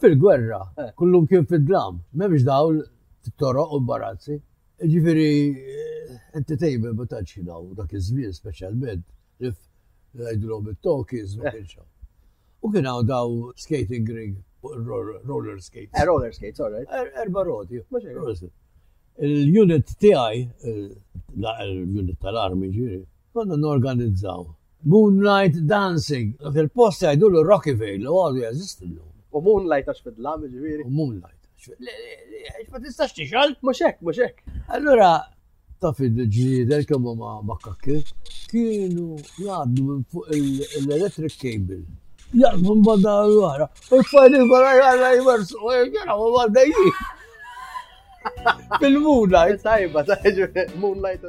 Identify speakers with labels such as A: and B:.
A: Fil-gwerra, eh. kullum kien fid-dlam, m'hemmx dawl fit-toroq u barazzi. Ġifieri eh, entertainment ma tantx kien hawn dak iż-żmien speċjalment li ngħidulhom it-talkies ma eh. kienx hawn. U kien hawn daw skating ring roller skates.
B: Eh, roller skates, all right.
A: Er, erba roti. Il-unit tiegħi, l-unit tal-armi ġifieri, konna norganizzaw Moonlight Dancing. Dak il-post jgħidulu Rocky Vale, u għadu jeżisti llum.
B: U Moonlight għax fid-dlam ġifieri.
A: U Moonlight. Ma tistax tixgħal?
B: Mhux hekk, mhux hekk.
A: Allura taf il-ġliedel kemm huma makkakki, kienu jgħaddu minn fuq l-electric cable. Jaqsmu minn banda l-oħra. U t-tfajli kollha jgħalla jmersu, u jgħu għaddejjin. Fil-moonlight.
B: Tajba, tajba, moonlight.